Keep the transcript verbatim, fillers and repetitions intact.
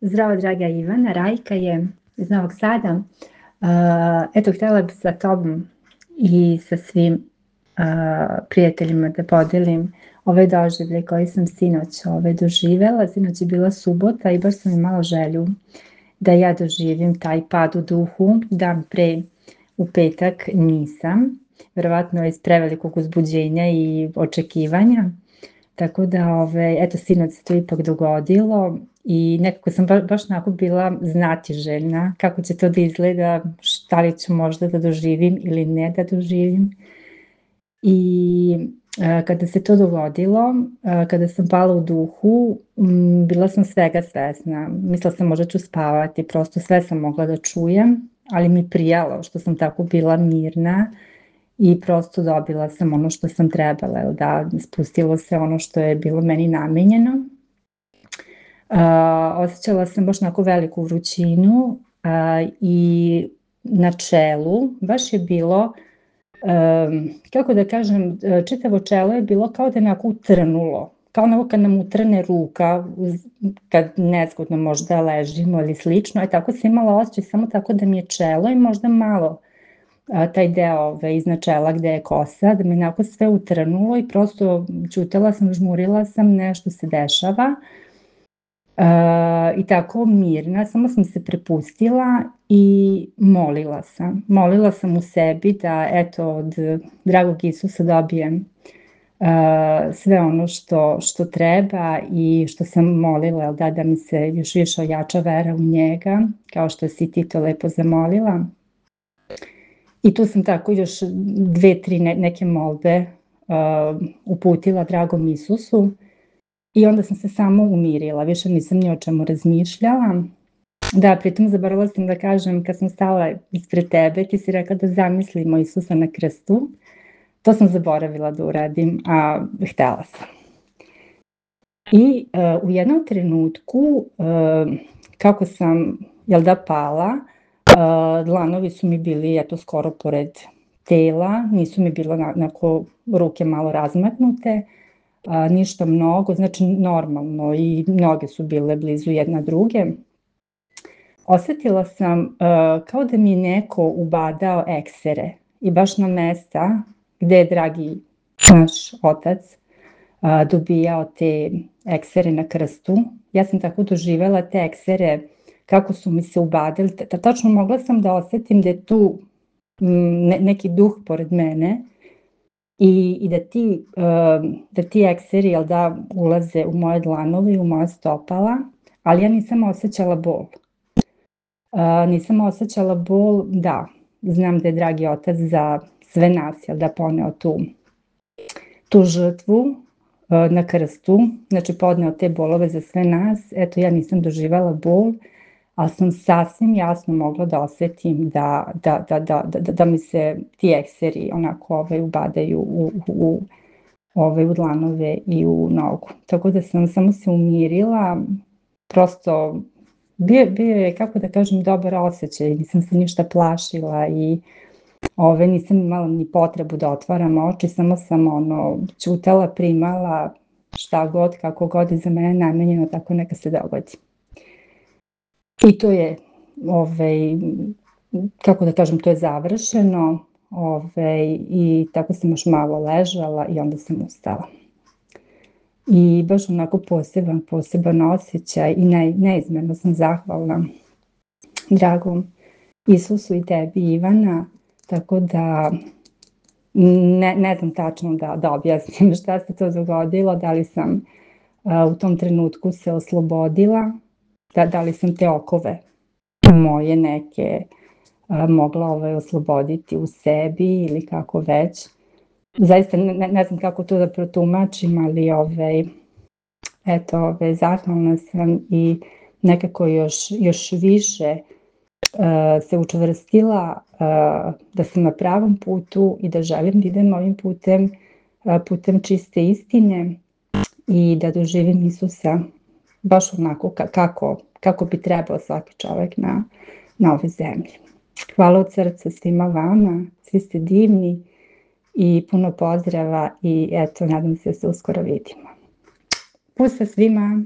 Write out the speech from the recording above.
Zdravo, draga Ivana, Rajka je iz Novog Sada. Uh, eto, htjela bih sa tobom i sa svim uh, prijateljima da podelim ove doživlje koje sam sinoć ove doživela. Sinoć je bila subota i baš sam imala želju da ja doživim taj pad u duhu. Dan pre, u petak, nisam. Verovatno iz prevelikog uzbuđenja i očekivanja. Tako da, ove, eto, sinoć se to ipak dogodilo i nekako sam ba, baš onako bila znatiželjna kako će to da izgleda, šta li ću možda da doživim ili ne da doživim. I a, kada se to dogodilo, a, kada sam pala u duhu, m, bila sam svega svesna. Mislila sam možda ću spavati, prosto sve sam mogla da čujem, ali mi prijalo što sam tako bila mirna. I prosto dobila sam ono što sam trebala, da spustilo se ono što je bilo meni namenjeno. Uh, osjećala sam baš onako veliku vrućinu uh, i na čelu baš je bilo, um, kako da kažem, čitavo čelo je bilo kao da je onako utrnulo, kao onako kad nam utrne ruka, kad nezgodno možda ležimo ili slično, e tako sam imala osjećaj samo tako da mi je čelo i možda malo a, taj deo ove, iznad čela gde je kosa, da mi je onako sve utrnulo i prosto ćutala sam, žmurila sam, nešto se dešava a, i tako mirna, samo sam se prepustila i molila sam. Molila sam u sebi da eto od dragog Isusa dobijem a, sve ono što, što treba i što sam molila, da, da mi se još više ojača vera u njega, kao što si ti to lepo zamolila. I tu sam tako još dve, tri ne, neke molbe uh, uputila dragom Isusu i onda sam se samo umirila, više nisam ni o čemu razmišljala. Da, pritom zaboravila sam da kažem, kad sam stala ispred tebe, ti si rekla da zamislimo Isusa na krstu. To sam zaboravila da uradim, a htela sam. I uh, u jednom trenutku, uh, kako sam, jel da, pala, Uh, dlanovi su mi bili eto skoro pored tela, nisu mi bilo onako ruke malo razmaknute, uh, ništa mnogo, znači normalno i noge su bile blizu jedna druge. Osetila sam uh, kao da mi je neko ubadao eksere i baš na mesta gde je dragi naš otac uh, dobijao te eksere na krstu. Ja sam tako doživela te eksere kako su mi se ubadili, tačno mogla sam da osetim da je tu ne, neki duh pored mene i, i da, ti, da ti ekseri jel da, ulaze u moje dlanove i u moja stopala, ali ja nisam osjećala bol. Nisam osjećala bol, da, znam da je dragi otac za sve nas jel da poneo tu, tu žrtvu na krstu, znači podneo te bolove za sve nas, eto ja nisam doživala bol, ali sam sasvim jasno mogla da osetim da, da, da, da, da, da mi se ti ekseri onako ovaj, ubadaju u, u, ovaj, u dlanove i u nogu. Tako da sam samo se umirila, prosto bio, bio je, kako da kažem, dobar osjećaj, nisam se ništa plašila i ove, nisam imala ni potrebu da otvaram oči, samo sam ono, ćutala, primala šta god, kako god je za mene namenjeno, tako neka se dogodi. I to je, ovaj, kako da kažem, to je završeno ovaj, i tako sam još malo ležala i onda sam ustala. I baš onako poseban, poseban osjećaj i ne, neizmjerno sam zahvalna dragom Isusu i tebi, Ivana, tako da ne, ne znam tačno da, da objasnim šta se to dogodilo, da li sam a, u tom trenutku se oslobodila, Da, da li sam te okove moje neke a, mogla ovaj, osloboditi u sebi ili kako već. Zaista ne, ne znam kako to da protumačim, ali ovaj, eto, ovaj, zahvalna sam i nekako još, još više uh, se učvrstila uh, da sam na pravom putu i da želim da idem ovim putem, uh, putem čiste istine i da doživim Isusa baš onako kako, kako bi trebao svaki čovjek na, na ovoj zemlji. Hvala od srca svima vama, svi ste divni i puno pozdrava i eto, nadam se da se uskoro vidimo. Pusa svima!